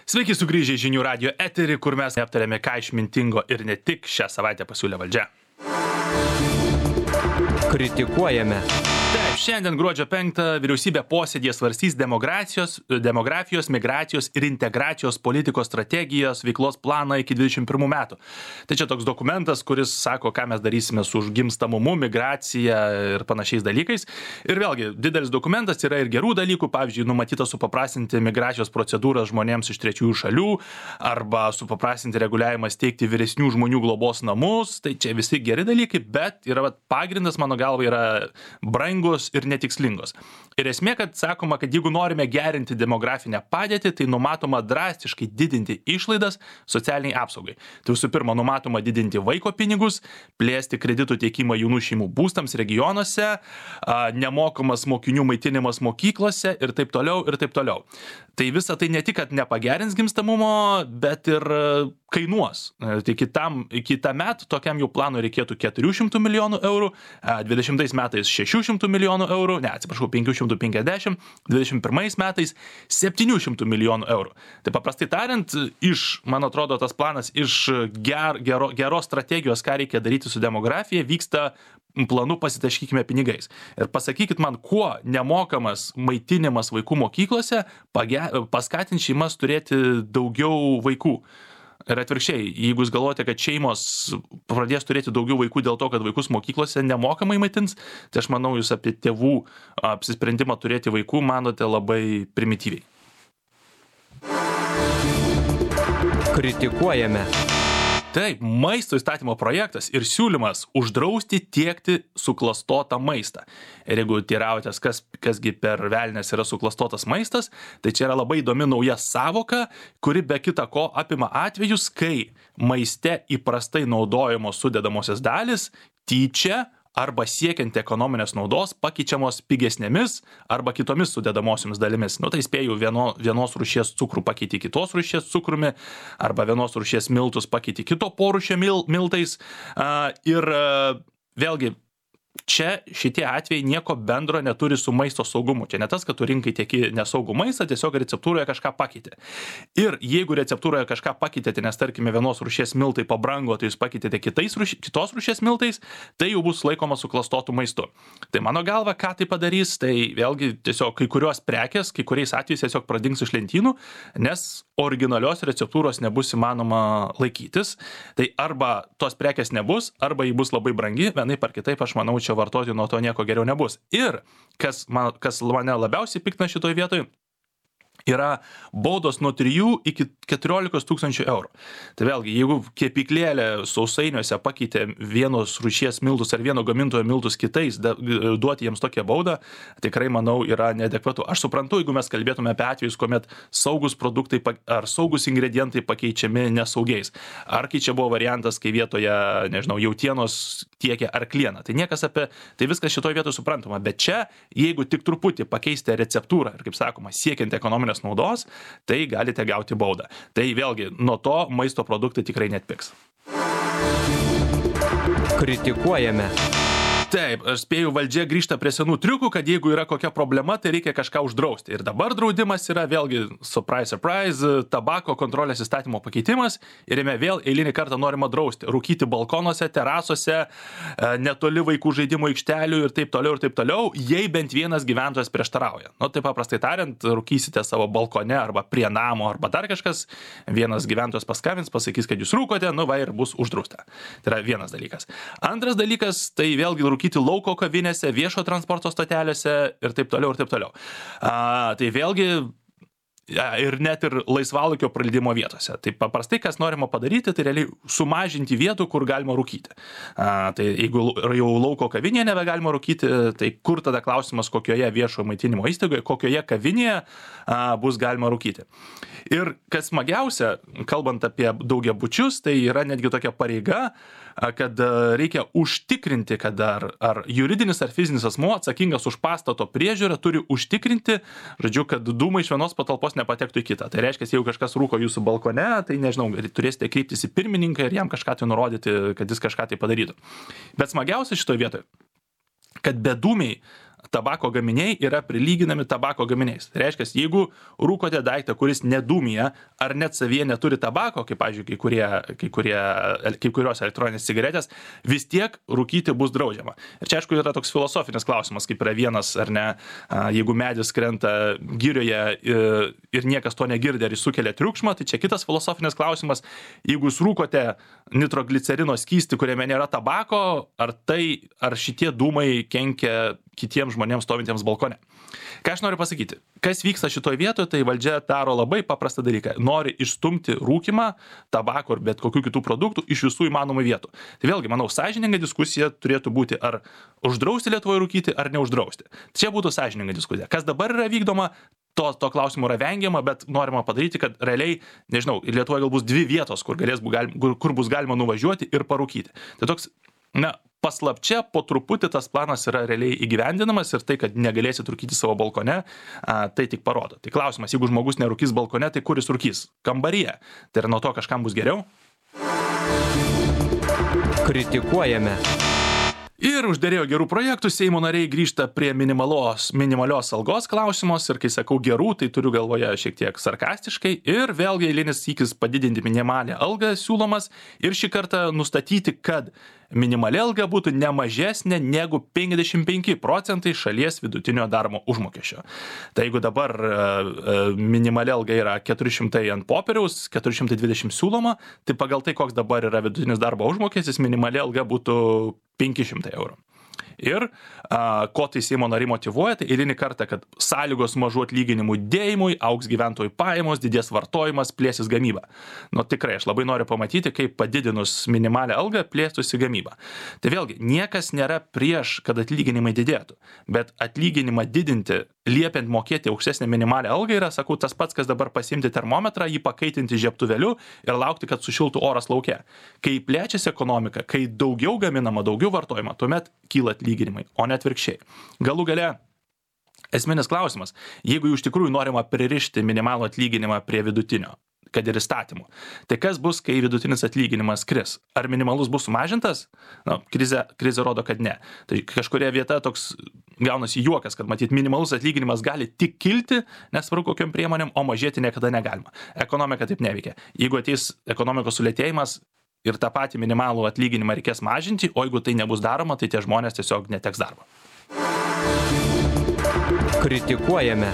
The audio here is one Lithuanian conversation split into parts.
Sveiki sugrįžę į Žinių radijo eterį, kur mes aptarėme, ką išmintingo ir ne tik šią savaitę pasiūlė valdžia. Kritikuojame. Taip, šiandien gruodžio 5 vyriausybė posėdėje svarstys demografijos, migracijos ir integracijos politikos strategijos veiklos planą iki 21 metų. Tai čia toks dokumentas, kuris sako, ką mes darysime su gimstamumu, migracija ir panašiais dalykais. Ir vėlgi, didelis dokumentas, yra ir gerų dalykų, pavyzdžiui, numatyta supaprastinti migracijos procedūras žmonėms iš trečiųjų šalių arba supaprastinti reguliavimą steigti vyresnių žmonių globos namus. Tai čia visi geri dalykai, bet yra pagrindas, mano galva, yra brangus ir netikslingos. Ir esmė, kad sakoma, kad jeigu norime gerinti demografinę padėtį, tai numatoma drastiškai didinti išlaidas socialiniai apsaugai. Tai visų pirma, numatoma didinti vaiko pinigus, plėsti kreditų teikimą jaunų šeimų būstams regionuose, nemokamas mokinių maitinimas mokyklose ir taip toliau, ir taip toliau. Tai visa tai ne tik, kad nepagerins gimstamumo, bet ir kainuos. Tai kitąmet tokiam jau planui reikėtų 400 milijonų eurų, 20 metais 600 milijonų eurų, 550, 21 metais 700 milijonų eurų. Tai paprastai tariant, man atrodo, tas planas iš geros strategijos, ką reikia daryti su demografija, vyksta planu pasitaškykime pinigais. Ir pasakykit man, kuo nemokamas maitinimas vaikų mokyklose paskatins šeimas turėti daugiau vaikų. Ir atvirkščiai, jeigu jūs galvojate, kad šeimos pradės turėti daugiau vaikų dėl to, kad vaikus mokyklose nemokamai maitins, tai aš manau, jūs apie tėvų apsisprendimą turėti vaikų manote labai primityviai. Kritikuojame. Taip, maisto įstatymo projektas ir siūlymas uždrausti tiekti suklastotą maistą. Ir jeigu teiraujatės, kasgi per velnias yra suklastotas maistas, tai čia yra labai įdomi nauja savoka, kuri be kita ko apima atvejus, kai maiste įprastai naudojamos sudedamosios dalis tyčia arba siekiant ekonominės naudos pakeičiamos pigesnėmis arba kitomis sudedamosiomis dalimis. Tai spėjau, vienos rūšies cukrų pakeiti kitos rūšies cukrumi arba vienos rūšies miltus pakeiti kito porūšio miltais. Ir vėlgi, čia šitie atvejai nieko bendro neturi su maisto saugumu. Čia ne tas, kad tu rinkai tieki nesaugų maistą, tiesiog receptūroje kažką pakeitė. Ir jeigu receptūroje kažką pakeitėte, nes tarkime vienos rūšies miltai pabrango, tai jūs pakeitėte kitos rūšies miltais, tai jau bus laikoma suklastotų maistu. Tai mano galva, ką tai padarys, tai vėlgi tiesiog kai kurios prekės, kai kuriais atvejais tiesiog pradings iš lentynų, nes originalios receptūros nebus įmanoma laikytis. Tai arba tos prekės nebus, arba ji bus labai brangi, vienaip ar kitaip, aš manau, čia vartoti nuo to nieko geriau nebus. Ir kas mane labiausiai piktina šitoj vietoj, yra baudos nuo 3 iki 14 tūkstančių eurų. Tai vėlgi, jeigu kepyklėlė sausainiuose pakeitė vienos rūšies miltus ar vieno gamintojo miltus kitais, duoti jiems tokią baudą, tikrai, manau, yra neadekvatu. Aš suprantu, jeigu mes kalbėtume apie atvejus, kuomet saugus produktai ar saugus ingredientai pakeičiami nesaugiais. Ar kai čia buvo variantas, kai vietoje, jautienos tiekia arklieną. Tai viskas šitoje vietoje suprantama. Bet čia, jeigu tik truputį pakeisite receptūrą ir, kaip sakoma, siekiant ekonominės naudos, tai galite gauti baudą. Tai vėlgi, nuo to maisto produktai tikrai netpigs. Kritikuojame. Taip, aš spėju, valdžia grįžta prie senų triukų, kad jeigu yra kokia problema, tai reikia kažką uždrausti. Ir dabar draudimas yra vėlgi, surprise, tabako kontrolės įstatymo pakeitimas ir jame vėl eilinį kartą norima drausti. Rūkyti balkonuose, terasose, netoli vaikų žaidimo aikštelių ir taip toliau, jei bent vienas gyventojas prieštarauja. Tai paprastai tariant, rūkysite savo balkone arba prie namo arba dar kažkas, vienas gyventojas paskambins, pasakys, kad jūs rūkote, ir bus uždrausta. Tai yra vienas dalykas. Antras dalykas, tai vėlgi rūkyti lauko kavinėse, viešo transporto stotelėse ir taip toliau. Tai vėlgi ir net ir laisvalaikio praleidimo vietose. Tai paprastai, kas norima padaryti, tai realiai sumažinti vietų, kur galima rūkyti. Tai jeigu jau lauko kavinėje nebegalima rūkyti, tai kur tada klausimas, kokioje viešojo maitinimo įstaigoje, kokioje kavinėje bus galima rūkyti. Ir kas smagiausia, kalbant apie daugiabučius, tai yra netgi tokia pareiga, kad reikia užtikrinti, kad ar juridinis ar fizinis asmuo atsakingas už pastato priežiūrą turi užtikrinti, kad dūmai iš vienos patalpos nepatektų į kitą. Tai reiškia, jeigu kažkas rūko jūsų balkone, tai turėsite kreiptis į pirmininką ir jam kažką tai nurodyti, kad jis kažką tai padarytų. Bet smagiausia šitoje vietoje, kad bedūmiai tabako gaminiai yra prilyginami tabako gaminiais. Tai reiškia, jeigu rūkote daiktą, kuris nedūmija ar net savyje neturi tabako, kaip, pavyzdžiui, kai kurios elektroninės cigaretės, vis tiek rūkyti bus draudžiama. Ir čia, aišku, yra toks filosofinis klausimas, kaip yra vienas ar ne, jeigu medis krenta girioje ir niekas to negirdi, ar jis sukelia triukšmą, tai čia kitas filosofinis klausimas, jeigu jūs rūkote nitroglicerino skystį, kuriame nėra tabako, ar šitie dūmai kenkia kitiems žmonėms stovintiems balkone. Ką aš noriu pasakyti? Kas vyksta šitoje vietoje, tai valdžia daro labai paprastą dalyką. Nori išstumti rūkimą, tabako ir bet kokių kitų produktų iš visų įmanomų vietų. Tai vėlgi, manau, sąžininga diskusija turėtų būti, ar uždrausti Lietuvoje rūkyti, ar neuždrausti. Čia būtų sąžininga diskusija. Kas dabar yra vykdoma, to klausimo yra vengiama, bet norima padaryti, kad realiai, nežinau, Lietuvoje gal bus 2 vietos, kur bus galima nuvažiuoti ir parūkyti. Tai toks, paslapčia po truputį tas planas yra realiai įgyvendinamas ir tai, kad negalėsit rūkyti savo balkone, tai tik parodo. Tai klausimas, jeigu žmogus nerūkys balkone, tai kur jis rūkys? Kambaryje. Tai ar nuo to kažkam bus geriau? Kritikuojame. Ir uždėrėjo gerų projektų, Seimo nariai grįžta prie minimalios algos klausimos ir kai sakau gerų, tai turiu galvoje šiek tiek sarkastiškai ir vėlgi eilinis sykis padidinti minimalią algą siūlomas ir šį kartą nustatyti, kad minimali alga būtų ne mažesnė negu 55% šalies vidutinio darbo užmokesčio. Tai jeigu dabar minimali alga yra 400 ant popieriaus, 420 siūloma, tai pagal tai, koks dabar yra vidutinis darbo užmokestis, minimali alga būtų 500 eurų. Ir ko tai Seimo nariai motyvuoja, tai eilinį kartą, kad sąlygos mažų atlyginimų dėjimui, augs gyventojų pajamos, didės vartojimas, plėsis gamyba. Tikrai, aš labai noriu pamatyti, kaip padidinus minimalią algą plėstųsi gamyba. Tai vėlgi, niekas nėra prieš, kad atlyginimai didėtų, bet atlyginimą didinti, liepiant mokėti aukštesnę minimalią algą yra, sakau, tas pats, kas dabar pasimti termometrą, jį pakaitinti žiebtuvėliu ir laukti, kad sušiltų oras lauke. Kai plečiasi ekonomika, kai daugiau gaminama, daugiau vartojama, tuomet kyla atlyginimai, o ne atvirkščiai. Galų gale, esminis klausimas, jeigu iš tikrųjų norima pririšti minimalų atlyginimą prie vidutinio, kad ir įstatymų, tai kas bus, kai vidutinis atlyginimas kris? Ar minimalus bus sumažintas? Krizė rodo, kad ne. Tai kažkuria vieta toks gaunasi juokas, kad matyt minimalus atlyginimas gali tik kilti, nesvarbu kokiam priemonėm, o mažėti niekada negalima. Ekonomika taip neveikia. Jeigu ateis ekonomikos sulėtėjimas, ir tą patį minimalų atlyginimą reikės mažinti, o jeigu tai nebus daroma, tai tie žmonės tiesiog neteks darbo. Kritikuojame.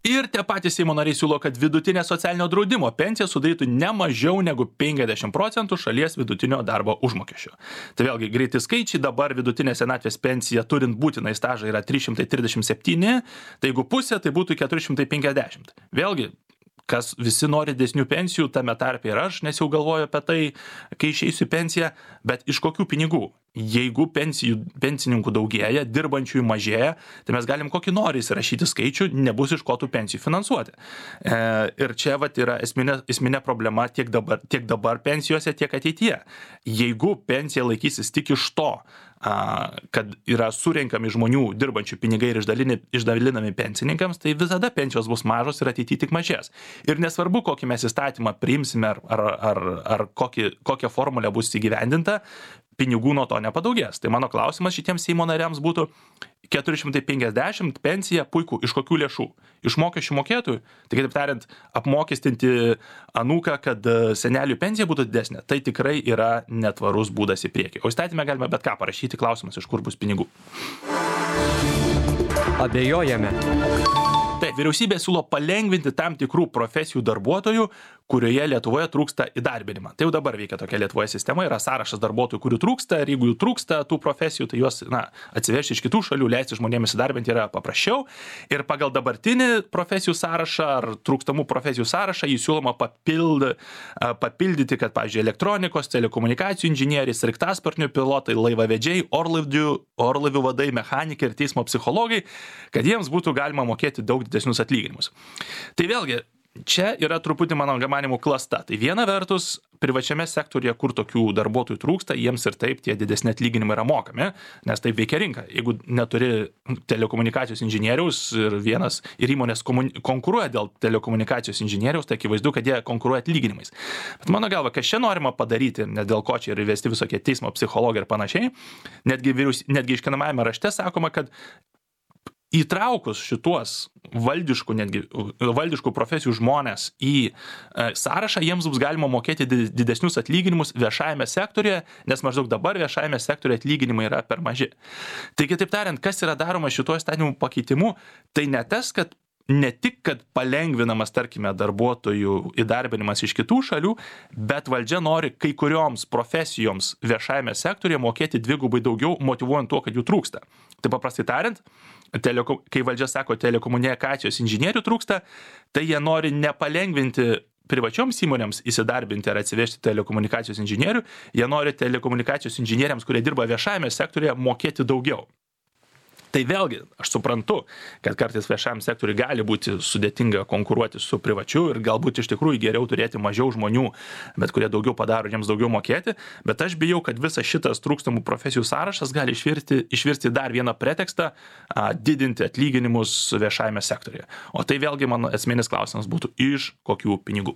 Ir tie patys Seimo nariai siūlo, kad vidutinė socialinio draudimo pensija sudarytų ne mažiau negu 50% šalies vidutinio darbo užmokesčio. Tai vėlgi greiti skaičiai, dabar vidutinė senatvės pensija turint būtinai stažą yra 337, tai jeigu pusė, tai būtų 450. Vėlgi, kas visi nori didesnių pensijų, tame tarpe ir aš, nes jau galvoju apie tai, kai išeisiu į pensiją, bet iš kokių pinigų? Jeigu pensininkų daugėja, dirbančiųjų mažėja, tai mes galim kokį nori įsirašyti skaičių, nebus iš ko tų pensijų finansuoti. Ir čia yra esminė problema tiek dabar pensijose, tiek ateityje. Jeigu pensija laikysis tik iš to, kad yra surenkami žmonių dirbančių pinigai ir išdalinami pensininkams, tai visada pensijos bus mažos ir ateityje tik mažės. Ir nesvarbu, kokį mes įstatymą priimsime ar kokią formulę bus įgyvendinta, pinigų nuo to nepadaugės. Tai mano klausimas šitiems Seimo nariams būtų 450 pensija, puiku, iš kokių lėšų? Iš mokesčių mokėtojų? Tai kitaip tariant, apmokestinti anūką, kad senelių pensija būtų didesnė, tai tikrai yra netvarus būdas į priekį. O įstatymę galime bet ką parašyti, klausimas, iš kur bus pinigų. Abejojame. Taip, vyriausybė siūlo palengvinti tam tikrų profesijų darbuotojų, kurioje Lietuvoje trūksta įdarbinimą. Tai jau dabar veikia tokia Lietuvoje sistema, yra sąrašas darbuotojų, kurių trūksta, ir jeigu jų trūksta tų profesijų, tai juos atsivežti iš kitų šalių, leisti žmonėms įdarbinti yra paprasčiau. Ir pagal dabartinį profesijų sąrašą ar trūkstamų profesijų sąrašą jį siūloma papildyti, kad, pavyzdžiui, elektronikos, telekomunikacijų inžinieriai, sraigtasparnių pilotai, laivavedžiai, orlaivių vadai, mechanikai ir teismo psichologai, kad jiems būtų galima mokėti daug didesnius atlyginimus. Tai vėlgi, čia yra truputį, mano manimų, klasta. Tai viena vertus, privačiame sektorija, kur tokių darbuotojų trūksta, jiems ir taip tie didesni atlyginimai yra mokami, nes taip veikia rinka. Jeigu neturi telekomunikacijos inžinieriaus ir įmonės konkuruoja dėl telekomunikacijos inžinieriaus, tai akivaizdu, kad jie konkuruoja atlyginimais. Bet mano galva, kas čia norima padaryti, ne dėl ko čia ir įvesti visokie teismo psichologai ir panašiai, netgi iškinamajame rašte sakoma, kad įtraukus šituos valdiškų profesijų žmonės į sąrašą, jiems bus galima mokėti didesnius atlyginimus viešajame sektoriuje, nes maždaug dabar viešajame sektoriuje atlyginimai yra per maži. Tai kitaip tariant, kas yra daroma šituo įstatymų pakeitimu, tai ne tas, kad ne tik, kad palengvinamas, tarkime, darbuotojų įdarbinimas iš kitų šalių, bet valdžia nori kai kurioms profesijoms viešajame sektoriuje mokėti dvigubai daugiau, motyvuojant tuo, kad jų trūksta. Tai paprastai tariant, kai valdžia sako, telekomunikacijos inžinierių trūksta, tai jie nori nepalengvinti privačioms įmonėms įsidarbinti ar atsivežti telekomunikacijos inžinierių, jie nori telekomunikacijos inžinieriams, kurie dirba viešajame sektoriuje, mokėti daugiau. Tai vėlgi, aš suprantu, kad kartais viešajam sektoriui gali būti sudėtinga konkuruoti su privačiu ir galbūt iš tikrųjų geriau turėti mažiau žmonių, bet kurie daugiau padaro, jiems daugiau mokėti, bet aš bijau, kad visas šitas trūkstamų profesijų sąrašas gali išvirsti dar vieną pretekstą didinti atlyginimus viešajame sektoriuje. O tai vėlgi mano esminis klausimas būtų, iš kokių pinigų.